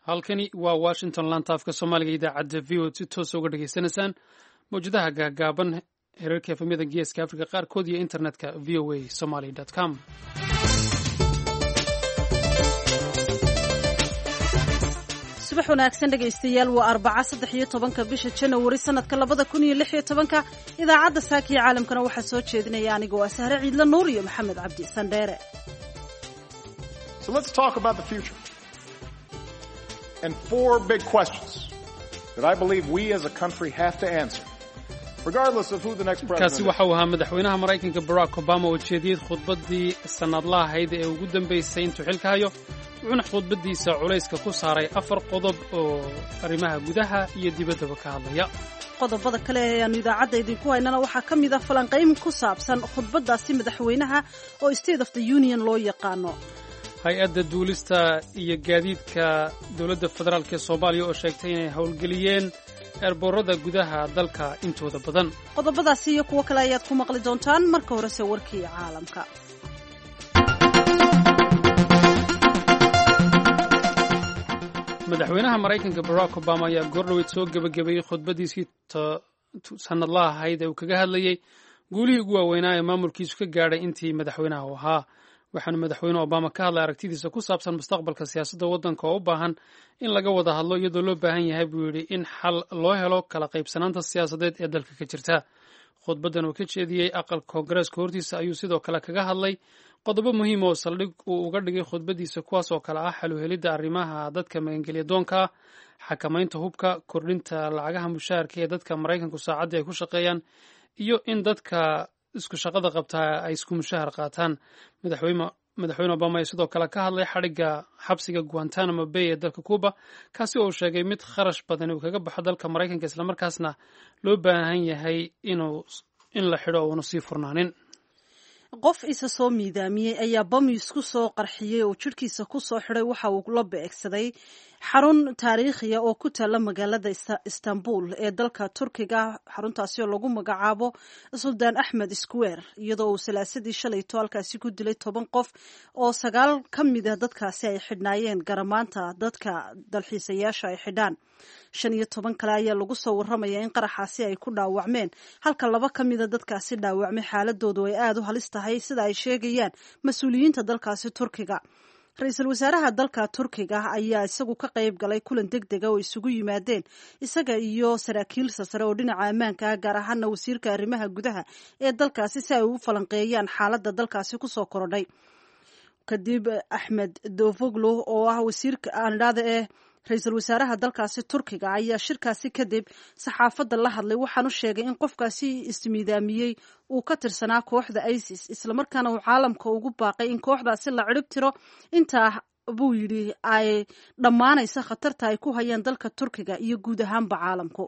Halkani waa Washington, laanta afka Soomaaliga, idaacadda VOA si toosa uga dhegaysanaysaan mawjadaha gaagaaban, heerarka FM-yada Geeska Africa qaarkood iyo internetka voasomali.com. Subax wanaagsan, dhegaystayaal. Waa Arbaca, 13-ka bisha Janawari, sanadka 2016-ka. Idaacadda Saakiya Caalamkana waxaa soo jeedinaya aniga waa Sahre Ciidla Nuur iyo Maxamed Cabdi Sandheere. So let's talk about the future. And four big questions that I believe we as a country have to answer, regardless of who the next president Kaasi waxa uu ahaa madaxweynaha Maraykanka Barack Obama oo jeediyey khudbaddii sannadlaha ahayd ee ugu dambaysay intuu xilka hayo, wuxuuna khudbaddiisa culayska ku saaray afar qodob oo arrimaha gudaha iyo dibaddaba ka hadlaya. Qodobada kale ee aanu idaacadda idinku haynana waxaa ka mid ah falanqayn ku saabsan khudbaddaasi madaxweynaha oo State of the Union loo yaqaano. Hay-adda duulista iyo gaadiidka dowladda federaalk ee Soomaaliya oo sheegtay inay howlgeliyeen eerboorada gudaha dalka intooda badan. Qodobadaasi iyo kuwo kale ayaad ku maqli doontaan. Marka horese warkii caalamka. Madaxweynaha Maraykanka Barack Obama ayaa goordhoweyd soo gebagabeeyey khudbaddiisii sannadlaha ahayd ee uu kaga hadlayey guulihii ugu waaweynaa ee maamulkiisu ka gaadhay intii madaxweynaha u ahaa. Waxaanu madaxweyne Obama ka hadlay aragtidiisa ku saabsan mustaqbalka siyaasadda waddanka oo u baahan in laga wada hadlo, iyadoo loo baahan yahay, buu yidhi, in xal loo helo kala qaybsanaanta siyaasadeed ee dalka ka jirta. Khudbaddan uu ka jeediyey aqalka Koongareeska hortiisa ayuu sidoo kale kaga hadlay qodobo muhiim oo saldhig uu uga dhigay khudbaddiisa, kuwaas oo kale ah xal u helidda arrimaha dadka magangelya doonka ah, xakamaynta hubka, kordhinta lacagaha mushaharka ee dadka Maraykanku saacaddii ay ku shaqeeyaan, iyo in dadka isku shaqada qabtaa ay isku mushahar qaataan. Madaxweyne Obama ayaa sidoo kale ka hadlay xadhigga xabsiga Guantanamo Bay ee dalka Cuba, kaasi oo uu sheegay mid kharash badan uu kaga baxo dalka Maraykanka, islamarkaasna loo baahan yahay inuu in la xidho uuna sii furnaanin. Qof isa soo miidaamiyey ayaa bam isku soo qarxiyey oo jidhkiisa ku soo xidhay. Waxa uu la beegsaday xarun taariikhiya oo ku taalla magaalada Istanbul ee dalka Turkiga, xaruntaasi oo lagu magacaabo Suldaan Axmed Square, iyadoo uu Salaasadii shalayto halkaasi ku dilay 10 qof oo sagaal ka mid ah dadkaasi ay xidhnaayeen garamaanta dadka dalxiisayaasha ay xidhaan. 15 kale ayaa lagu soo warramaya in qaraxaasi ay ku dhaawacmeen, halka laba ka mida dadkaasi dhaawacmay xaaladoodu ay aada u halis tahay, sida ay sheegayaan mas-uuliyiinta dalkaasi Turkiga. Ra-iisul wasaaraha dalka Turkiga ayaa isagu ka qayb galay kulan deg dega oo isugu yimaadeen isaga iyo saraakiil sasare oo dhinaca ammaanka ah, gaar ahaana wasiirka arrimaha gudaha ee dalkaasi, si ay ugu falanqeeyaan xaaladda dalkaasi kusoo korodhay. Kadib Axmed Davutoglu oo ah wasiirka aandhada ee ra-iisul wasaaraha dalkaasi Turkiga ayaa shirkaasi kadib saxaafadda la hadlay, waxaanu sheegay in qofkaasi ismiidaamiyey uu ka tirsanaa kooxda ISIS, islamarkaana uu caalamka ugu baaqay in kooxdaasi la cirib tiro intaa, buu yidhi, ay dhammaanaysa khatarta ay ku hayaan dalka Turkiga iyo guud ahaanba caalamku.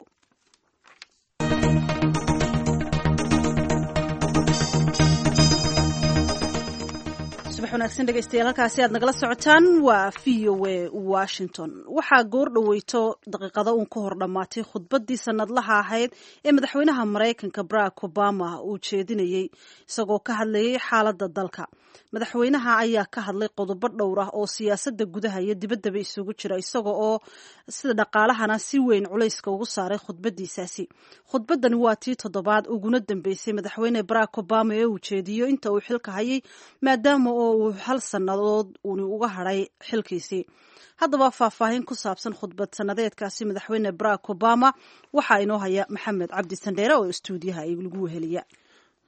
Subax wanaagsan, dhegeystayaal. Halkaasi aad nagala socotaan waa VOA Washington. Waxaa goor dhaweyto daqiiqado uun ka hor dhammaatay khudbaddii sanadlaha ahayd ee madaxweynaha Maraykanka Barack Obama uu jeedinayey, isagoo ka hadlayay xaaladda dalka. Madaxweynaha ayaa ka hadlay qodobo dhowr ah oo siyaasadda gudaha iyo dibaddaba isugu jira, isaga oo sida dhaqaalahana si weyn culayska ugu saaray khudbadiisaasi. Khudbaddani waa tii toddobaad uguna dambeysay madaxweyne Barack Obama ee uu jeediyo inta uu xilka hayay, maadaama oo uu hal sannadood uuni uga hadhay xilkiisii. Haddaba faahfaahin ku saabsan khudbad sannadeedkaasi madaxweyne Barack Obama waxaa inoo haya Maxamed Cabdi Sandheere oo istuudiyaha lagu weheliya.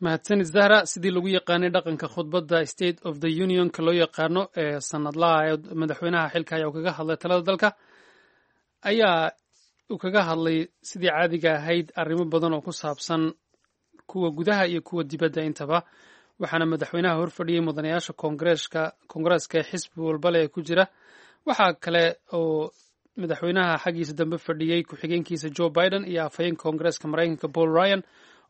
Mahadsanid, Zahra. Sidii lagu yaqaanay dhaqanka khudbadda State of the Unionka loo yaqaano ee sanadlaha ee madaxweynaha xilka ayaa uu kaga hadlay talada dalka, ayaa uu kaga hadlay sidii caadiga ahayd arrimo badan oo ku saabsan kuwa gudaha iyo kuwa dibadda intaba. Waxaana madaxweynaha horfadhiyey mudanayaasha koongareeska ee xisbi walbale ee ku jira. Waxaa kale oo madaxweynaha xaggiisa dambe fadhiyey ku-xigeenkiisa Joe Biden iyo afhayeenka Koongareeska Maraykanka Paul Ryan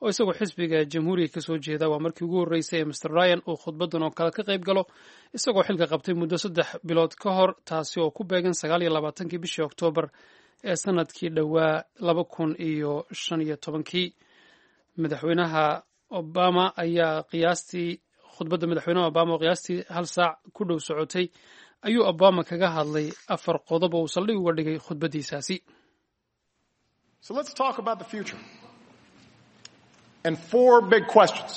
oo isagoo xisbiga Jamhuuriga kasoo jeeda. Waa markii ugu horreysay ee Mr Ryan uu khudbaddan oo kale ka qayb galo, isagoo xilka qabtay muddo 3 bilood ka hor, taasi oo ku beegan 29-kii bishii Oktoobar ee sanadkii dhowaa 2015-kii. Madaxweynaha Obama ayaa qiyaastii khudbadda madaxweynaha Obama oo qiyaastii hal saac ku dhow socotay Ayuu Obama kaga hadlay afar qodob oo uu saldhig uga dhigay khudbaddiisaasi. So let's talk about the future. And four big questions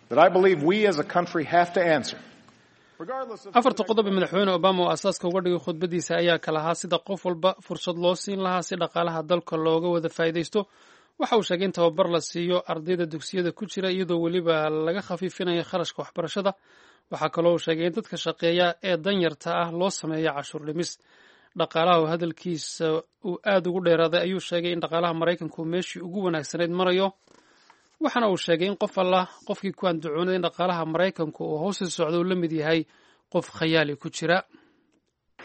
that I believe we as a country have to answer. Afarta qodob ee Madaxweyne Obama oo asaaska uga dhigay khudbaddiisa ayaa kala ahaa sida qof walba fursad loo siin lahaa si dhaqaalaha dalka looga wada faa'iidaysto. Waxa uu sheegay in tababar la siiyo ardayda dugsiyada ku jira, iyadoo weliba laga khafiifinayo kharashka waxbarashada. Waxaa kaloo uu sheegay in dadka shaqeeya ee danyarta ah loo sameeyo cashuur dhimis. Dhaqaalaha oo hadalkiisa uu aada ugu dheeraaday ayuu sheegay in dhaqaalaha Maraykanku meeshii ugu wanaagsanayd marayo, waxaana uu sheegay in qof allah qofkii ku andacoonay in dhaqaalaha Maraykanku uu hoosi socdo uu la mid yahay qof khayaali ku jira.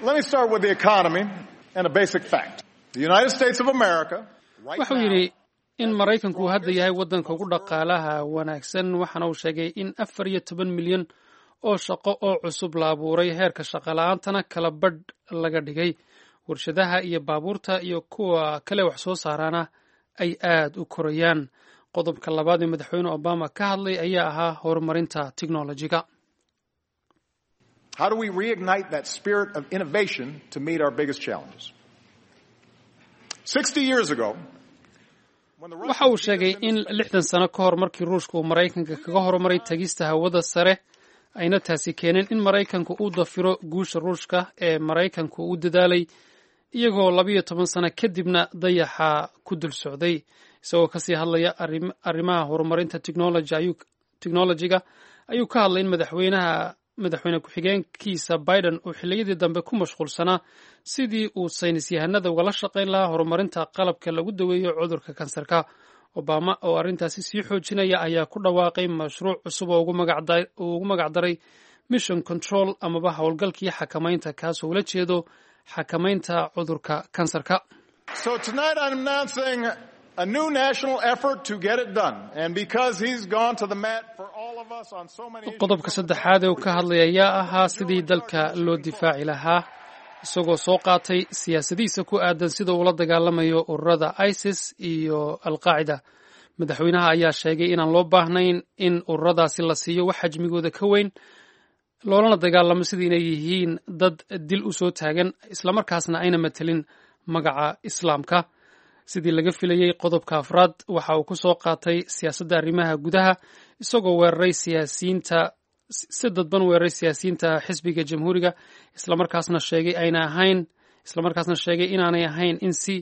Let me start with the economy and a basic fact. The United States of America Waxuu yidhi in Maraykanku uu hadda yahay waddanka ugu dhaqaalaha wanaagsan, waxaana uu sheegay in 14 milyan oo shaqo oo cusub la abuuray, heerka shaqola'aantana kala badh laga dhigay, warshadaha iyo baabuurta iyo kuwa kale wax soo saaraana ay aad u korayaan. Qodobka labaad ee Madaxweyne Obama ka hadlay ayaa ahaa horumarinta technolojiga. How do we reignite that spirit of innovation to meet our biggest challenges? 60 years ago, Waxa uu sheegay in 60 sano ka hor, markii Ruushka uu Maraykanka kaga horumaray tagista hawada sare, ayna taasi keeneen in Maraykanku uu dafiro guusha Ruushka ee Maraykanku u dadaalay, iyagoo 12 sano kadibna dayaxa ku dul socday. Isagoo kasii hadlaya arrimaha horumarinta technolojiga ayuu ka hadlay in madaxweynaha madaxweyne ku-xigeenkiisa Biden uu xilliyadii dambe ku mashquulsanaa sidii uu saynis yahanada ugala shaqayn lahaa horumarinta qalabka lagu daweeyo cudurka kansarka. Obama oo arrintaasi sii xoojinaya ayaa ku dhawaaqay mashruuc cusub oo uu ugu magacdaray Mission Control amaba howlgalkii xakamaynta, kaasoo ula jeedo xakamaynta cudurka kansarka. So tonight I'm announcing a new national effort to get it done. And because he's gone to the mat for all of us on so many issues. Qodobka saddexaad ee uu ka hadlay ayaa ahaa sidii dalka loo difaaci lahaa, isagoo soo qaatay siyaasadihiisa ku aadan sida uu la dagaalamayo ururada ISIS iyo Alqaacida. Madaxweynaha ayaa sheegay inaan loo baahnayn in ururadaasi la siiyo wax xajmigooda ka weyn, loolana dagaalamo sidii inay yihiin dad dil u soo taagan, islamarkaasna ayna matelin magaca Islaamka. Sidii laga filayey, qodobka afraad waxa uu ku soo qaatay siyaasadda arrimaha gudaha, isagoo weeraray siyaasiyiinta, si dadban weeraray siyaasiyiinta xisbiga Jamhuuriga, islamarkaasna sheegay ayna ahayn islamarkaasna sheegay inaanay ahayn in si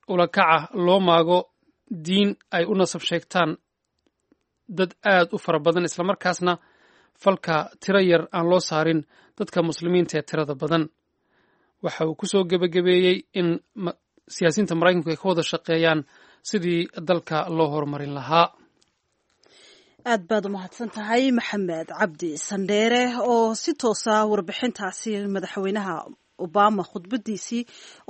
ulakaca loo maago diin ay u nasab sheegtaan dad aad u fara badan, islamarkaasna falka tiro yar aan loo saarin dadka Muslimiinta ee tirada badan. Waxa uu ku soo gebagabeeyey in siyaasiyiinta Maraykanku ay ka wada shaqeeyaan sidii dalka loo horumarin lahaa. Aad baad umahadsan tahay, Maxamed Cabdi Sandheere, oo si toosa warbixintaasi madaxweynaha Obama khudbadiisii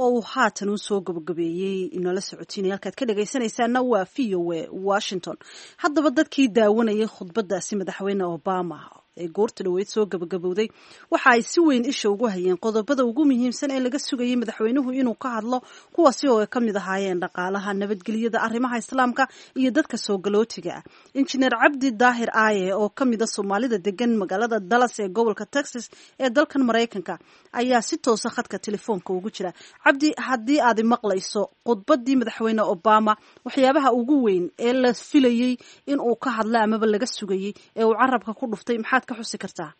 oo uu haatan u soo gabagabeeyey inoola socotiinaya. Halkaad ka dhegaysanaysaana waa VOA Washington. Haddaba, dadkii daawanayay khudbadaasi madaxweyne Obama ee goorta dhaweyd soo gabagabowday waxa ay si weyn isha ugu hayeen qodobada ugu muhiimsan ee laga sugayay madaxweynuhu inuu ka hadlo, kuwaasi oo ay ka mid ahaayeen dhaqaalaha, nabadgelyada, arrimaha Islaamka iyo dadka soo galootiga ah. Injineer Cabdi Daahir Aaye oo ka mid a Soomaalida degan magaalada Dallas ee gobolka Texas ee dalkan Maraykanka ayaa si toosa khadka telefoonka ugu jira. Cabdi, haddii aad maqlayso, khudbadii madaxweyne Obama waxyaabaha ugu weyn ee la filayey in uu ka hadlo amaba laga sugayey ee uu carabka ku dhuftay maxaad ka xusi kartaa?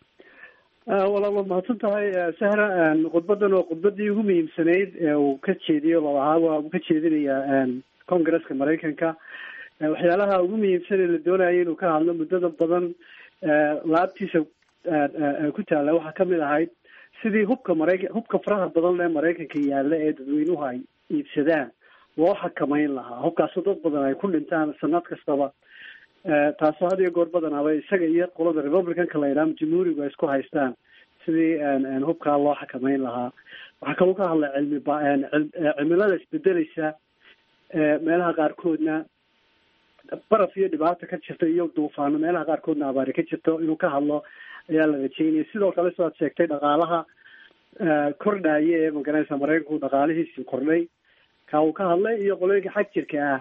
Walaal, waad mahadsan tahay, Sahra. Khudbadan oo khudbadii ugu muhiimsanayd ee uu ka jeediyo lalahaa waa uu ka jeedinayaa Congresska Maraykanka. Waxyaalaha ugu muhiimsan ee la doonayay inuu ka hadlo muddada badan laabtiisa ku taalla waxaa kamid ahayd sidii hubka Maraykan, hubka faraha badan ee Maraykanka yaalla ee dadweynuhu ay iibsadaan loo xakameyn lahaa, hubkaasoo dad badan ay ku dhintaan sanad kastaba, taasoo had iyo goor badanaaba isaga iyo qolada Republicanka la yidhaha, Jamhuurigu, ay isku haystaan sidii hubkaa loo xakameyn lahaa. Waxaa kaloo ka hadlay cilmi ba cimilada isbedeleysa, meelaha qaarkoodna baraf iyo dhibaata ka jirta iyo duufaano, meelaha qaarkoodna abaari ka jirto inuu ka hadlo ayaa la rajeynaya. Sidoo kale, sidaad sheegtay, dhaqaalaha kordhaya ee, magaranaysa, Maraykanku dhaqaalihiisii kordhay, ka uu ka hadlay, iyo qolooyinka xag jirka ah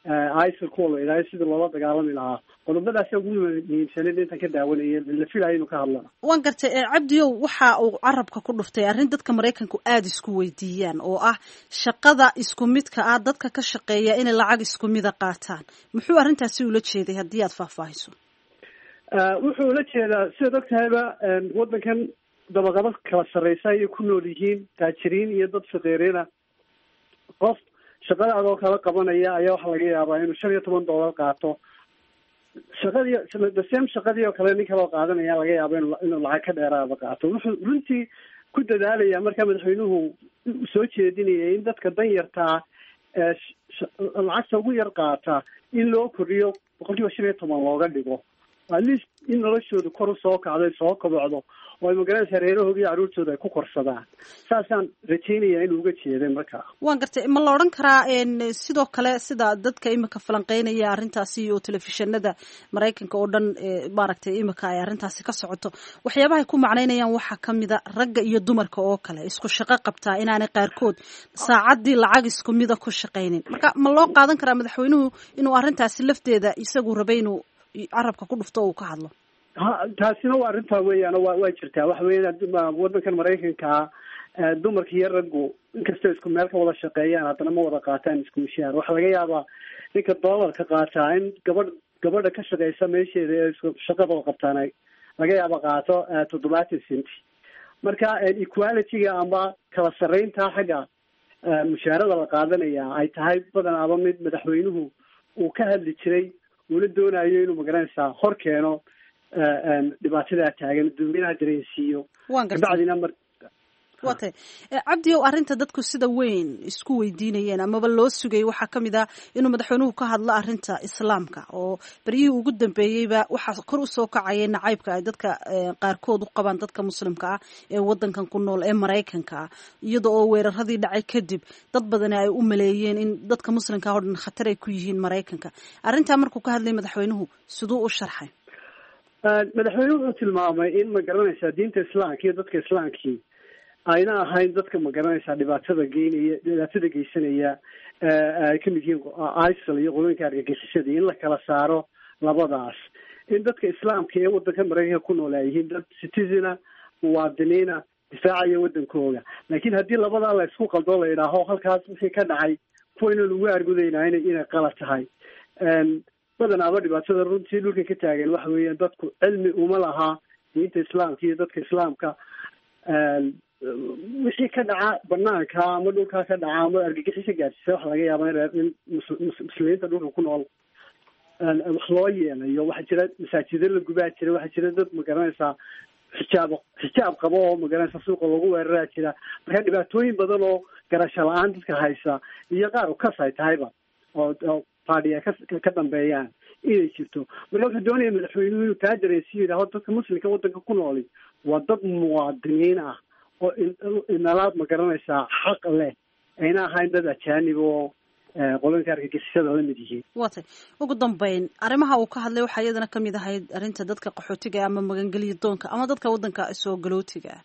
ISIL kuwa la idhaayo sidii loola dagaalami lahaa. Qodobadaasi ugu muhiimsaneed intaan ka daawanayay la filayo inuu ka hadlana. Waan gartay Cabdiyow, waxa uu carabka ku dhuftay arrin dadka Maraykanku aada isku weydiiyaan oo ah shaqada isku midka ah dadka ka shaqeeya inay lacag isku mida qaataan. Muxuu arrintaasi ula jeeday haddii aad faahfaahiso? Wuxuu ula jeedaa, sidaad og tahayba, waddankan dabaqado kala sarreysa ayay ku nool yihiin, taajiriin iyo dad faqiiriina. Qof shaqada adoo kala qabanaya ayaa waxaa laga yaabaa inuu $15 qaato. Shaqadii the same shaqadii oo kale nin kaloo qaadanaya laga yaaba inuu lacag ka dheeraada qaato. Wuxuu runtii ku dadaalaya markaa madaxweynuhu soo jeedinaya in dadka danyartaa lacagta ugu yar qaata in loo kordhiyo 15% looga dhigo, at least in noloshooda kor usoo kacdo, soo kobocdo, oo ay magaranaysa reerahooda iyo carruurtooda ay ku korsadaan. Saasaan rajaynaya inuu uga jeeday markaa. Waan gartay. Ma la odhan karaa sidoo kale sida dadka imika falanqeynaya arrintaasi oo telefishinada Maraykanka oo dhan maaragtay imika ay arrintaasi ka socoto, waxyaabahay ku macnaynayaan waxaa kamida ragga iyo dumarka oo kale isku shaqo qabtaa inaanay qaarkood saacaddii lacag isku mida ku shaqaynin? Marka ma loo qaadan karaa madaxweynuhu inuu arrintaasi lafteeda isagu rabay inuu carabka ku dhufto oo uu ka hadlo? Ha, taasina waa arrintaa weeyaan, waa jirtaa. Waxa weeyaan waddankan Maraykankaa dumarka iyo raggu inkastoo isku meel ka wada shaqeeyaan, haddana ma wada qaataan isku mishaar. Waxaa laga yaabaa ninka doolarka qaataa in gabadha ka shaqeysa meesheeda ee isku shaqada qabtaan ay laga yaaba qaato 70 cent. Marka equality-ga ama kala sarreynta xagga mushaarada la qaadanaya ay tahay badanaaba mid madaxweynuhu uu ka hadli jiray, uuna doonayo inuu magaranaysaa hor keeno dhibaatadaa taagan, dadweynaha dareensiiyo. Kabacdina mar Waa tahay Cabdiow, arrinta dadku sida weyn isku weydiinayeen amaba loo sugayay waxaa ka mid ah inuu madaxweynuhu ka hadlo arrinta Islaamka, oo beryihii ugu dambeeyeyba waxaa kor usoo kacayay nacaybka ay dadka qaarkood u qabaan dadka Muslimka ah ee wadankan ku nool ee Maraykanka ah, iyada oo weeraradii dhacay kadib dad badani ay u maleeyeen in dadka Muslimka ah oo dhan khatar ay ku yihiin Maraykanka. Arrintaa markuu ka hadlay madaxweynuhu, siduu u sharxay? Madaxweynuhu wuxuu tilmaamay in, ma garanaysaa, diinta Islaamka iyo dadka Islaamkii ayna ahayn dadka, ma garanaysaa, dhibaatada geynaya, dhibaatada geysanaya, ay kamid yihiin ISIL iyo qolooyinka argagixisada, in la kala saaro labadaas, in dadka Islaamka ee wadanka Maraykanka ku nool ay yihiin dad citizen-a, muwaadiniina difaacaya wadankooda. Laakiin haddii labadaa la isku qaldo, la yidhaaho halkaas wixii ka dhacay kuwa inaan ugu argudaynaa inay qalad tahay. Badanaaba dhibaatada runtii dhulka ka taagan waxa weeyaan dadku cilmi uma laha diinta Islaamka iyo dadka Islaamka. Wixii ka dhaca banaanka ama dhulkaa ka dhaca ama argagixisa gaarsiisa, waxa laga yaaba in Muslimiinta dhulka ku nool wax loo yeelayo. Waxaa jira masaajido la gubaa jira, waxaa jira dad, magaranaysaa, xijaab qabo oo, magaranaysaa, suuqa lagu weeraraa jira. Marka dhibaatooyin badan oo garasho la-aan dadka haysa iyo qaar ukas ay tahayba oo faadhiya ka dambeeyaan inay jirto. Marka wuxuu doonaya madaxweynuhu inuu taa dareensiyo, yidhaaho dadka Muslimka waddanka ku nooli waa dad muwaadiniin ah oo inalaad, ma garanaysaa, xaq leh, ayna ahayn dad ajaanib oo qolooyinka argagixisada la mid yihiin. Waa tay. Ugu dambeyn, arrimaha uu ka hadlay waxaa iyadana kamid ahayd arrinta dadka qaxootiga ama magangeliya doonka ama dadka waddanka soo galootiga ah.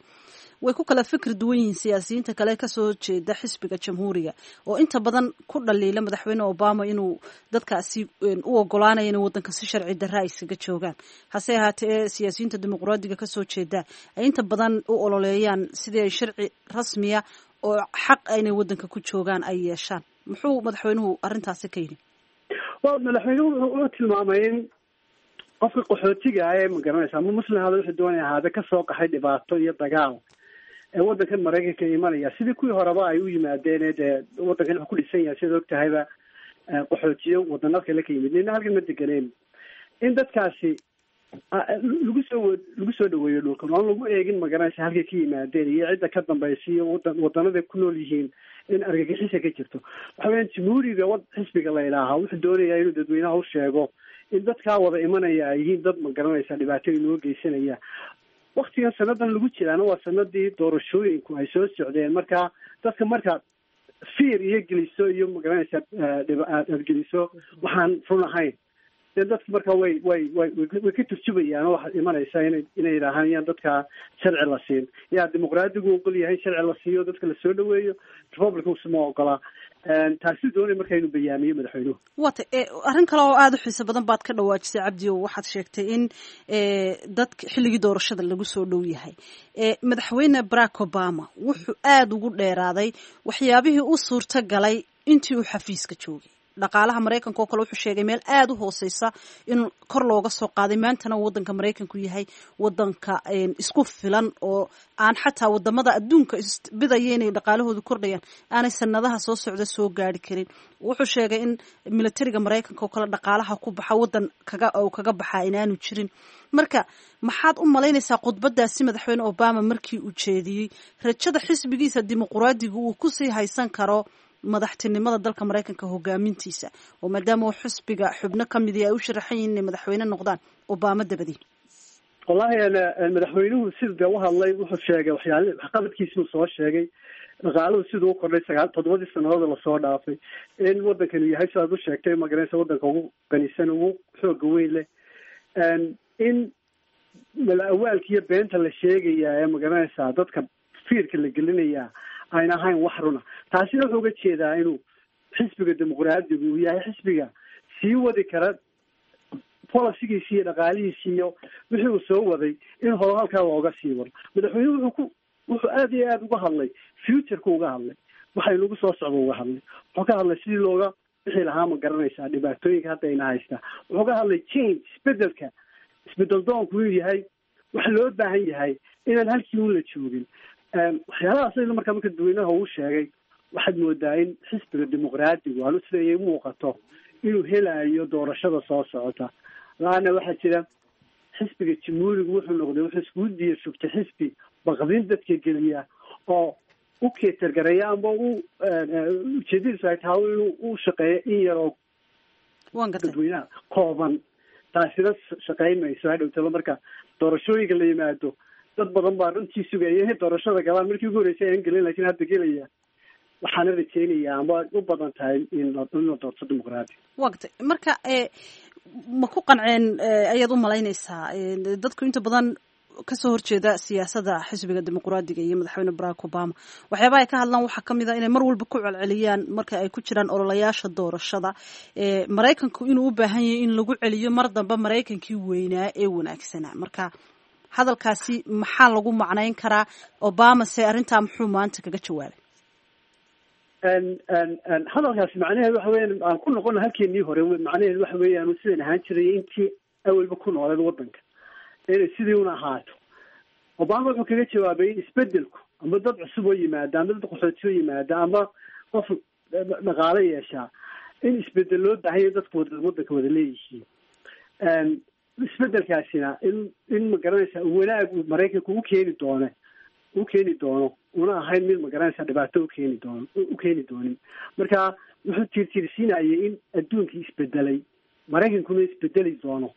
Way ku kala fikir duwan yihiin siyaasiyiinta kale kasoo jeeda xisbiga Jamhuuriga, oo inta badan ku dhaliila madaxweyne Obama inuu dadkaasi u ogolaanayo inay waddanka si sharci darra ay iskaga joogaan. Hase ahaatee siyaasiyiinta Dimuqraadiga kasoo jeeda ay inta badan u ololeeyaan sidii ay sharci rasmiya oo xaq inay waddanka ku joogaan ay yeeshaan. Muxuu madaxweynuhu arrintaasi ka yidhi? Wa madaxweynuhu wuxuu tilmaamay in qofka qaxootiga ah ee, ma garanaysa, ama Muslim hada wuxuu doonaya ahaade, kasoo qaxay dhibaato iyo dagaal ee waddankan Maraykanka imanaya, sidii kuwii horeba ay u yimaadeen, dee waddankan wuxuu ku dhisan yahay, sidaad og tahayba, qaxootiyo wadano kale ka yimid, nina halkan ma deganeen, in dadkaasi lagu soo dhaweeyo dhulkan oon lagu eegin, magaranaysa, halkay ka yimaadeen iyo cidda ka dambaysa iyo wadanaday ku nool yihiin in argagixisa ka jirto. Waxa weeyaan Jamhuuriga xisbiga la idhaahaa wuxuu doonayaa inuu dadweynaha u sheego in dadkaa wada imanaya ay yihiin dad, ma garanaysa, dhibaato inoo geysanaya. Waktigan sanadan lagu jiraana waa sanadii doorashooyinku ay soo socdeen. Marka dadka marka fear iyo geliso iyo, magaranaysa, aad geliso waxaan run ahayn. Dee dadka marka way ka turjubayaan oo waxaad imanaysaa inay yidhaahaan yaan dadka sharci la siin. Yaa dimuqraadigu ogol yahay sharci la siiyo, dadka lasoo dhaweeyo, republicansu ma ogola. Taasi doonay marka inuu bayaamiyo madaxweynuhu. Wata arrin kale oo aada u xiiso badan baad ka dhawaajisay, Cabdi, oo waxaad sheegtay in dadka xilligii doorashada lagu soo dhow yahay. Madaxweyne Barack Obama wuxuu aada ugu dheeraaday waxyaabihii u suurta galay intii uu xafiiska joogay. Dhaqaalaha Maraykanka oo kale wuxuu sheegay meel aada u hooseysa in kor looga soo qaaday, maantana waddanka Maraykanku yahay waddanka isku filan oo aan xataa wadamada adduunka isbidaya inay dhaqaalahoodu kordhayaan aanay sanadaha soo socda soo gaari karin. Wuxuu sheegay in militariga Maraykanka oo kale dhaqaalaha ku baxa waddan kaga kaga baxaa inaanu jirin. Marka maxaad u malaynaysaa khudbadaasi madaxweyne Obama markii uu jeediyey, rajada xisbigiisa dimuqraadiga uu kusii haysan karo madaxtinimada dalka Maraykanka hogaamintiisa, oo maadaama uu xisbiga xubno ka midi ay u sharaxan yihiin inay madaxweyne noqdaan Obama dabadii? Wallahi, madaxweynuhu sida dee u hadlay, wuxuu sheegay waxyaali waxqabadkiisuu soo sheegay, dhaqaaluhu siduu u kordhay 7-dii sanadood lasoo dhaafay, in waddankanu yahay, sidaad u sheegtay, magaranaysa, waddanka ugu qanisan, ugu xooga weyn leh, in mala-awaalka iyo beenta la sheegayaa ee, magaranaysaa, dadka fiirka la gelinayaa ayna ahayn wax runa. Taasina wuxuu uga jeedaa inuu xisbiga dimuqraadigu uu yahay xisbiga sii wadi kara policygiisi iyo dhaqaalihiisi iyo wixii uu soo waday, in hore halkaa looga sii wado. Madaxweynuhu wuxuu aada iyo aada uga hadlay futureka, uga hadlay waxay nagu soo socda, uga hadlay, wuxuu ka hadlay sidii looga bixi lahaa, ma garanaysaa, dhibaatooyinka hadda ayna haystaa. Wuxuu ka hadlay change, isbedelka, isbedel doonku inuu yahay wax loo baahan yahay, inaan halkii un la joogin. Waxyaalahaas marka dadweynaha uu sheegay, waxaad moodaa in xisbiga dimuqraadigu aanu siday muuqato inuu helayo doorashada soo socota. Laana waxaa jira xisbiga jamhuurigu wuxuu noqday, wuxuu iskugu diya shugtay xisbi baqdin dadka geliya oo u keetargareeya ama u ujeedadiisu ay tahay inuu u shaqeeyo in yar oo Waan gartay. dadweynaha kooban. Taasina shaqayn mayso. Hadhowtaba marka doorashooyinka la yimaado, dad badan baa runtii sugaya inay doorashada galaan. Markii ugu horreysay aan gelin, laakiin hadda gelaya. Waxaana rajeynayaa ama u badan tahay in la doorto dimuqraadi. Waa gartay. Marka ma ku qanceen ayaad u malaynaysaa dadku inta badan kasoo horjeeda siyaasadda xisbiga dimuqraadiga iyo madaxweyne Barack Obama? Waxyaabaha ay ka hadlaan waxaa kamid a inay mar walba ku celceliyaan marka ay ku jiraan ololayaasha doorashada, Maraykanku inuu u baahan yahay in lagu celiyo mar dambe Maraykankii weynaa ee wanaagsanaa. Marka hadalkaasi maxaa lagu macnayn karaa? Obama se arrintaa muxuu maanta kaga jawaabay? Hadalkaasi macnaheedu waxa weeyaan, aan ku noqono halkeenii hore, macnaheedu waxa weeyaan sidan ahaan jiray intii awalba ku nooleed waddanka inay sidii una ahaato. Obama wuxuu kaga jawaabay in isbedelku ama dad cusub oo yimaada ama dad qaxooti oo yimaada ama qof dhaqaale yeeshaa, in isbedel loo baahan yahay, dadku waddanka wada leeyihiin. Isbedelkaasina in ma garanaysaa, wanaag uu Maraykanka u keeni doono, una ahayn mid, ma garanaysaa, dhibaato u keeni doonin. Marka wuxuu tiirtiirsiinayay in adduunkii isbedelay, Maraykankuna isbedeli doono.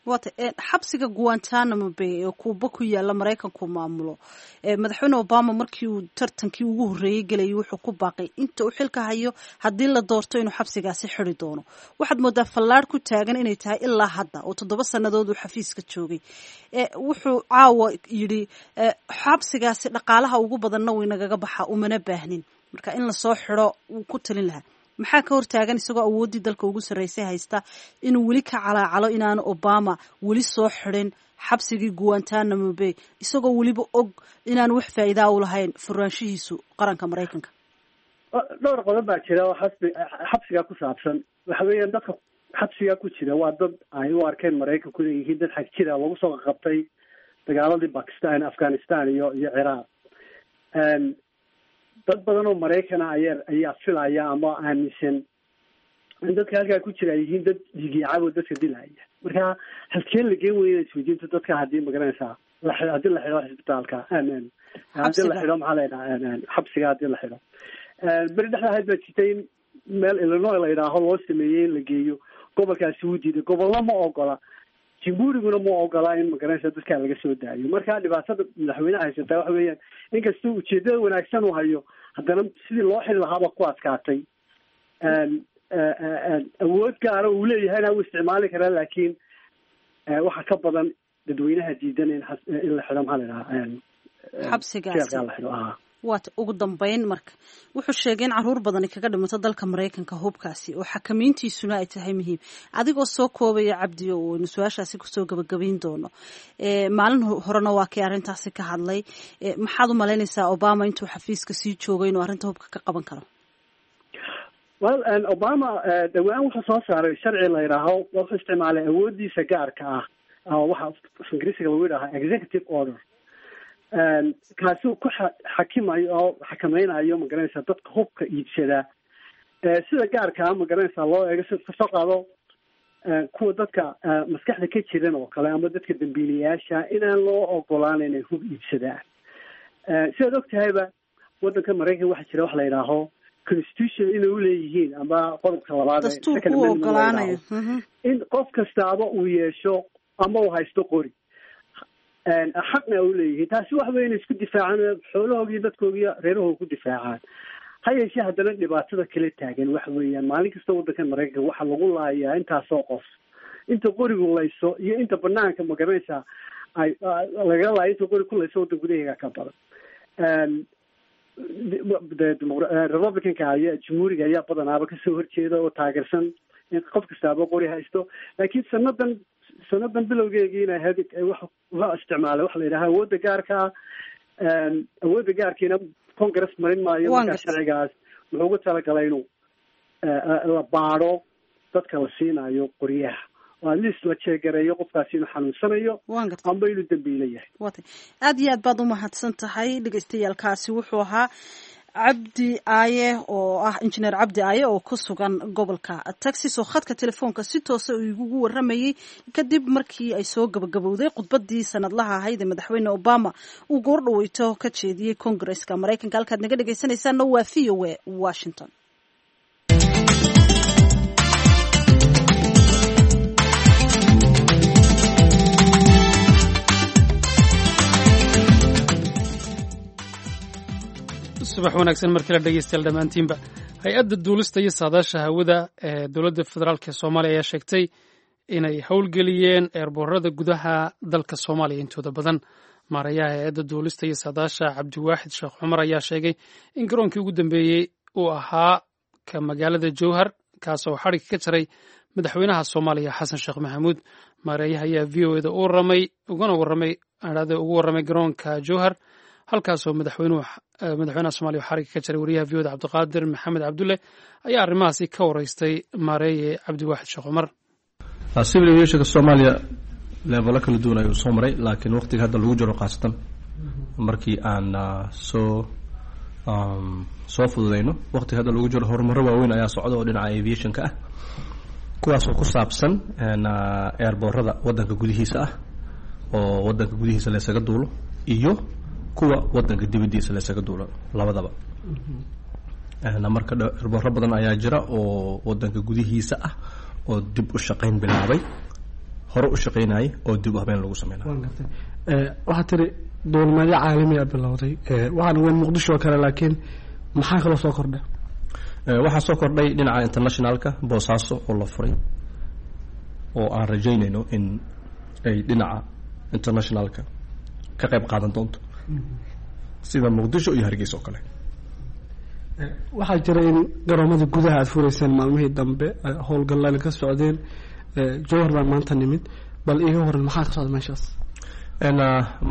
Wata xabsiga Guantanamo Bay ee Kuuba ku yaala, Maraykanku maamulo, madaxweyne Obama markii uu tartankii ugu horreeyey gelayay wuxuu ku baaqay inta uu xilka hayo haddii la doorto inuu xabsigaasi xidi doono. Waxaad moodaa fallaadh ku taagan inay tahay ilaa hadda oo 7 sannadood uu xafiiska joogay. Wuxuu caawa yidhi xabsigaasi dhaqaalaha ugu badanna way nagaga baxa, umana baahnin, marka in lasoo xidho wuu ku talin lahaa. Maxaa ka hortaagan, isagoo awooddii dalka ugu sarreysay haysta, inuu weli ka calaacalo inaanu Obama weli soo xidhin xabsigii Guantanamo Bay, isagoo weliba og inaanu wax faa'iidaa u lahayn furaanshihiisu qaranka Maraykanka? Dhowr qodob baa jira oo xabsigaa ku saabsan. Waxa weeyaan, dadka xabsigaa ku jira waa dad ay u arkeen Maraykanku inay yihiin dad xag jira, lagu soo qabtay dagaaladii Bakistan, Afghanistan iyo Ciraaq. Dad badan oo Maraykana ayaa filaya ama aaminsan in dadka halkaa ku jira ay yihiin dad dhiigyacab oo dadka dilaya. Marka halkeen la geen weyna isweydiinta dadka haddii, magaranaysaa, haddii la xidho xisbitaalka, haddii la xidho, maxaa la yidhaha, xabsiga haddii la xidho. Beri dhexda ahayd baa jirtay in meel Illinois la yidhaaho loo sameeyey in la geeyo. Gobolkaasi wuu diiday, gobolna ma ogola, jamhuuriguna ma ogola in, magaranaysa, dadkaa laga soo daayo. Marka dhibaatada madaxweyneha haysataa waxa weeyaan, inkastoo ujeedada wanaagsan uu hayo, haddana sidii loo xiri lahaaba ku adkaatay. Awood gaara uu leeyahayna uu isticmaali karaa, laakiin waxa ka badan dadweynaha diidan in la xidho, maxaa la idhahaa, xabsigaasi la xidho. Waata ugu dambeyn marka wuxuu sheegay in caruur badani kaga dhimato dalka Maraykanka hubkaasi oo xakamayntiisuna ay tahay muhiim. Adigoo soo koobaya, Cabdi, oo aynu su-aashaasi kusoo gabagabayn doono, maalin horena waa kii arrintaasi ka hadlay, maxaad u malaynaysaa Obama intuu xafiiska sii joogay inuu arrinta hubka ka qaban karo? Well, Obama dhawaan wuxuu soo saaray sharci la yidhaaho, wuxuu isticmaalay awooddiisa gaarka ah oo waxa Ingiriisiga lagu yidhaaha executive order, kaasi ku xakimayo oo xakamaynayo, magaranaysaa, dadka hubka iibsadaa sida gaarka ah, magaranaysaa, loo eego sida kasoo qaado kuwa dadka maskaxda ka jiran oo kale ama dadka dambiilayaasha inaan loo ogolaan inay hub iibsadaan. Sidaad og tahayba, waddanka Maraykan waxaa jira wax la yidhaaho constitution inay uleeyihiin ama qodobka labaad, dastuurka u ogolaanayo in qof kastaaba uu yeesho ama uu haysto qori, xaqna u leeyihiin. Taasi waxa wey inay isku difaacaan, xoolahoogii, dadkoogiiyo reerahooga ku difaacaan. Ha yeeshee haddana dhibaatada kala taagan waxa weeyaan maalin kasta waddanka Maraykanka waxaa lagu laayaa intaasoo qof, inta qorigu layso iyo inta banaanka, magaranaysaa, ay lagaga laayo inta qori ku layso waddan gudaheega ka badan. Republicanka ayaa, Jumhuuriga ayaa badanaaba kasoo horjeeda oo taageersan in qof kastaaba qori haysto, laakiin sanadan bilowgeegiina ahayd wuxuu isticmaalay waxa la yidhaha awoodda gaarka ah. Awoodda gaarkiina Congress marin maayo. Markaa sharcigaas wuxuu ugu talagalay inuu la baadho dadka la siinayo qoryaha oo at least la jeegareeyo qofkaasi inuu xanuunsanayo amba inuu dambiilo yahay. Watay, aad iyo aad baad umahadsan tahay. Dhagaystayaalkaasi wuxuu ahaa Cabdi Aaye oo ah Injineer Cabdi Aaye oo ku sugan gobolka Texas oo khadka telefoonka si toosa uu igugu waramayey kadib markii ay soo gabagabowday khudbadii sanadlaha ahayd ee Madaxweyne Obama uu goor dhaweyto ka jeediyey Congresska Maraykanka. Halkaad naga dhegaysanaysaanna waa VOA Washington. Subax wanaagsan markii la dhegeystayaal dhammaantiinba. Hay-adda duulista iyo saadaasha hawada ee dowladda federaalk ee Soomaaliya ayaa sheegtay inay howlgeliyeen eerboorada gudaha dalka Soomaaliya intooda badan. Maarayaha hay-adda duulista iyo saadaasha, Cabdiwaaxid Sheekh Cumar, ayaa sheegay in garoonkii ugu dambeeyey uu ahaa ka magaalada Jowhar, kaasoo xadhigga ka jaray madaxweynaha Soomaaliya Xasan Sheekh Maxamuud. Maareeyaha ayaa VOA da u waramay ugana warramay ugu warramay garoonka Jowhar, halkaasoo madaxweynuhu, madaxweynaha Soomaliya xarigga ka jaray. Wariyaha VOA da Cabdiqaadir Maxamed Cabdulle ayaa arrimahaasi ka wareystay maareeye Cabdiwaaxid Sheekh Cumar. Civil aviationka Soomaaliya leevelo kala duwan ayuu soo maray, laakiin waqtiga hadda lagu jiro, khaasatan markii aan soo fududeyno, waqtiga hadda lagu jiro horumaro waaweyn ayaa socda oo dhinaca aviationka ah, kuwaasoo ku saabsan airboorada waddanka gudihiisa ah oo waddanka gudihiisa laysaga duulo iyo kuwa waddanka dibaddiisa laysaga duulo labadaba. Marka airbooro badan ayaa jira oo waddanka gudihiisa ah oo dib u shaqayn bilaabay, hore u shaqaynayay oo dib u habeen lagu sameynay. Waxaa tiri duulimaadyo caalamiya bilowday, waxaan weyn Muqdisho oo kale, laakiin maxaa kaloo soo kordhay? Waxaa soo kordhay dhinaca internationalka Boosaaso oo la furay oo aan rajaynayno in ay dhinaca internationalka ka qayb qaadan doonto sida Muqdisho iyo Hargeysa oo kale. Waxaa jira in garoomada gudaha aada fureyseen maalmihii dambe, howlgallaan ka socdeen. Jowhar baan maanta nimid, bal iiga waran maxaa ka socda meeshaas?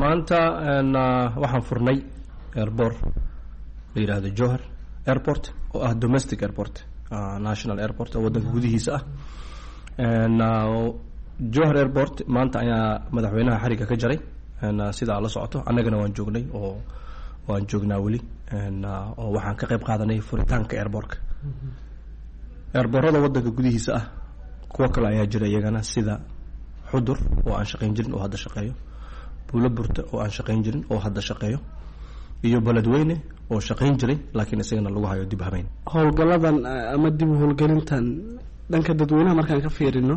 Maanta waxaan furnay airport la yidhaahdo Jowhar Airport oo ah domestic airport, national airport oo waddanka gudihiisa ah. Jowhar Airport maanta ayaa madaxweynaha xarigga ka jaray sida aad la socoto. Annagana waan joognay oo waan joognaa weli oo waxaan ka qayb qaadanay furitaanka airportka. Airboorada waddanka gudihiisa ah kuwo kale ayaa jira iyagana, sida Xudur oo aan shaqayn jirin oo hadda shaqeeyo, Buulo Burta oo aan shaqayn jirin oo hadda shaqeeyo, iyo Beledweyne oo shaqayn jiray laakiin isagana lagu hayo dib habeyn. Howlgalladan ama dib u howlgelintan dhanka dadweynaha markaan ka fiirino,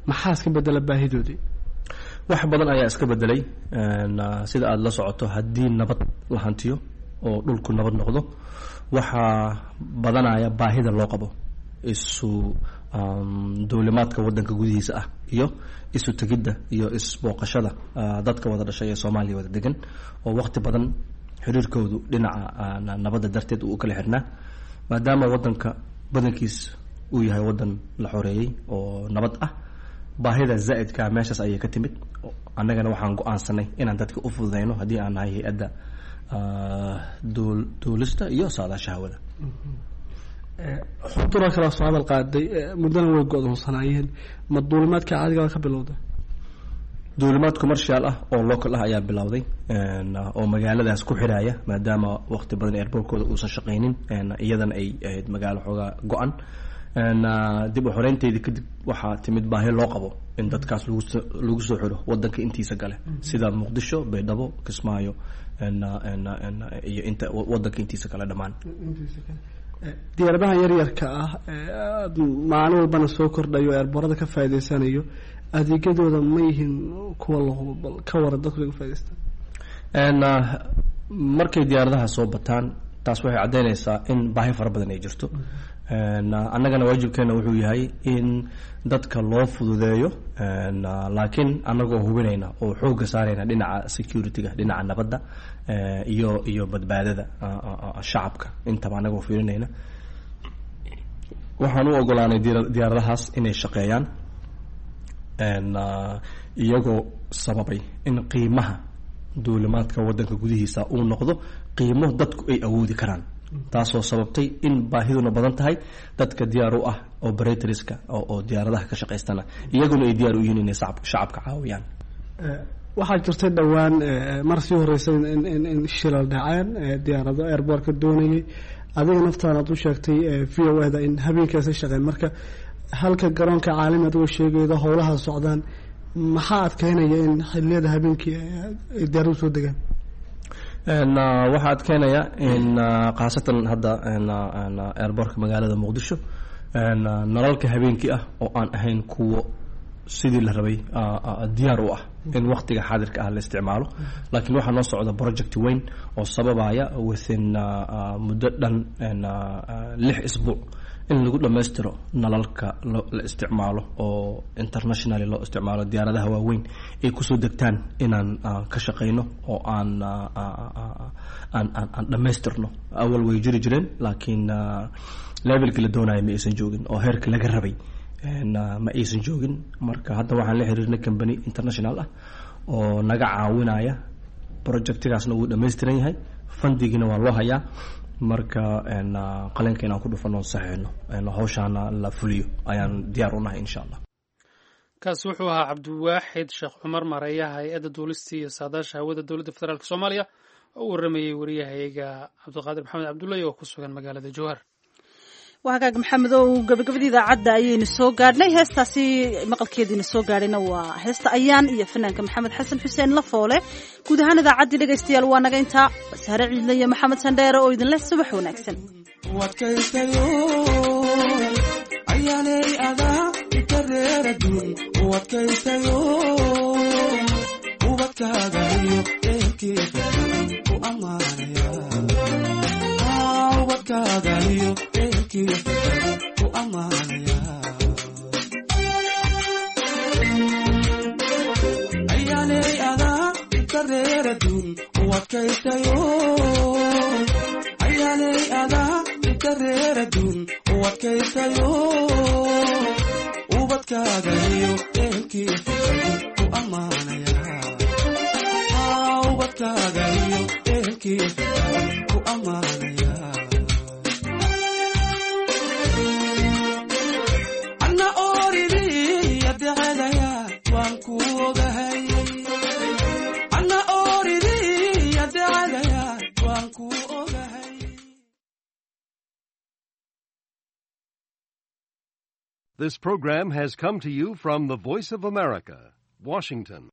maxaa iska bedela baahidoodii? Wax badan ayaa iska bedelay. Sida aada la socoto, haddii nabad la hantiyo oo dhulku nabad noqdo, waxaa badanaya baahida loo qabo Isu duulimaadka wadanka gudihiisa ah iyo isu tegidda iyo isbooqashada dadka wada dhashay ee Soomaaliya wada degan, oo waqti badan xiriirkoodu dhinaca nabadda darteed uu u kala xirnaa, maadaama wadanka badankiis uu yahay wadan la xoreeyey oo nabad ah. Baahida zaa'idkaa meeshaas ayay ka timid. Annagana waxaan go-aansanay inaan dadka u fududeyno, haddii aan nahay hay-adda duulista iyo saadaasha hawada. Xudura kala soo hadal qaaday, muddana way go-doonsanaayeen. Ma duulimaadka caadiga ka bilowday? Duulimaad commercial ah oo local ah ayaa bilowday oo magaaladaas ku xiraya, maadaama waqti badan airportkooda uusan shaqaynin, iyadana ay ahayd magaalo xoogaa go-an. Dib u xoreynteydii kadib waxaa timid baahi loo qabo in dadkaas lagu soo xiro wadanka intiisa gale, sida Muqdisho, Baydhabo, Kismaayo iyo inta wadanka intiisa kale dhammaan. Diyaaradaha yaryarka ah maalin walbana soo kordhayo, eerboorada ka faa'iideysanayo, adeegyadooda ma yihiin kuwa la hubo? Bal ka waran dadku ay ka faa'iideystaan. Markay diyaaradaha soo bataan, taas waxay caddeynaysaa in baahi fara badan ay jirto. Annagana waajibkeena wuxuu yahay in dadka loo fududeeyo, laakiin annagoo hubinayna oo xoogga saarayna dhinaca security-ga, dhinaca nabadda iyo badbaadada shacabka intaba annagoo fiirinayna, waxaan u ogolaanay diyaaradahaas inay shaqeeyaan, iyagoo sababay in qiimaha duulimaadka wadanka gudihiisa uu noqdo qiimo dadku ay awoodi karaan, taasoo sababtay in baahiduna badan tahay, dadka diyaar u ah operatorska oo diyaaradaha ka shaqaystana iyaguna ay diyaar u yihiin inay shacabka caawiyaan. Waxaa jirtay dhowaan mar sii horeysa in shilal dhaceen diyaarado airboortka doonayay. Adiga naftaan aad u sheegtay VOA da in habeenkaasa shaqeyn. Marka halka garoonka caalami adigoo sheegayda howlaha socdaan, maxaa adkeynaya in xiliyada habeenkii ay diyaaradu soo degaan? Waxaa adkeynaya in khaasatan hadda airboortka magaalada Muqdisho nalalka habeenkii ah oo aan ahayn kuwo sidii la rabay diyaar u ah in waktiga xaadirka ah la isticmaalo. Laakiin waxaa noo socda project weyn oo sababaya within muddo dhan 6 isbuuc in lagu dhammaystiro nalalka la isticmaalo oo internationally loo isticmaalo, diyaaradaha waaweyn ay kusoo degtaan, inaan ka shaqayno oo aan dhammaystirno. Awal way jiri jireen, laakiin levelkii la doonaya ma aysan joogin oo heerka laga rabay ma aysan joogin. Marka hadda waxaan la xiriirnay company international ah oo naga caawinaya projectigaasna wuu dhammaystiran yahay, fundigiina waa loo hayaa. Marka qalinka inaan ku dhufano, saxiixno, hawshaana la fuliyo ayaan diyaar u nahay, insha Allah. Kaasi wuxuu ahaa Cabdiwaaxid Sheekh Cumar, mareeyaha hay-adda duulista iyo saadaasha hawada dowladda federaalk Soomaaliya, oo u waramayey wariyahayaga Cabdiqaadir Maxamed Cabdullahi oo ku sugan magaalada Jowhar. Waa hagaag, Maxamed, oo gabagabadii idaacadda ayaynu soo gaadhnay. Heestaasi maqalkeediina soo gaadhayna waa heesta Ayaan iyo fanaanka Maxamed Xasan Xuseen Lafoole. Guud ahaan idaacaddii, dhegaystayaal, waa naga intaa. Sahre Ciidle iyo Maxamed Sandheere oo idinleh subax wanaagsan. Adkaystayo ayaanay adaa ikareeradun u adkaystayo, ubadkaaga iyo ehelkiisa u ammaanaya, ubadkaaga iyo ehelkiisa u ammaanaya. Ayaanay adaa ikareeradun u adkaystayo, ayaanay adaa ikareeradun u adkaystayo, ubadkaaga iyo ehelkiisa u ammaanaya, ubadkaaga iyo ehelkiisa ku ammaanaya. Anna ooridii adecelaya waan ku ogahay, anna ooridii adecelaya waan ku ogahay. This program has come to you from the Voice of America, Washington.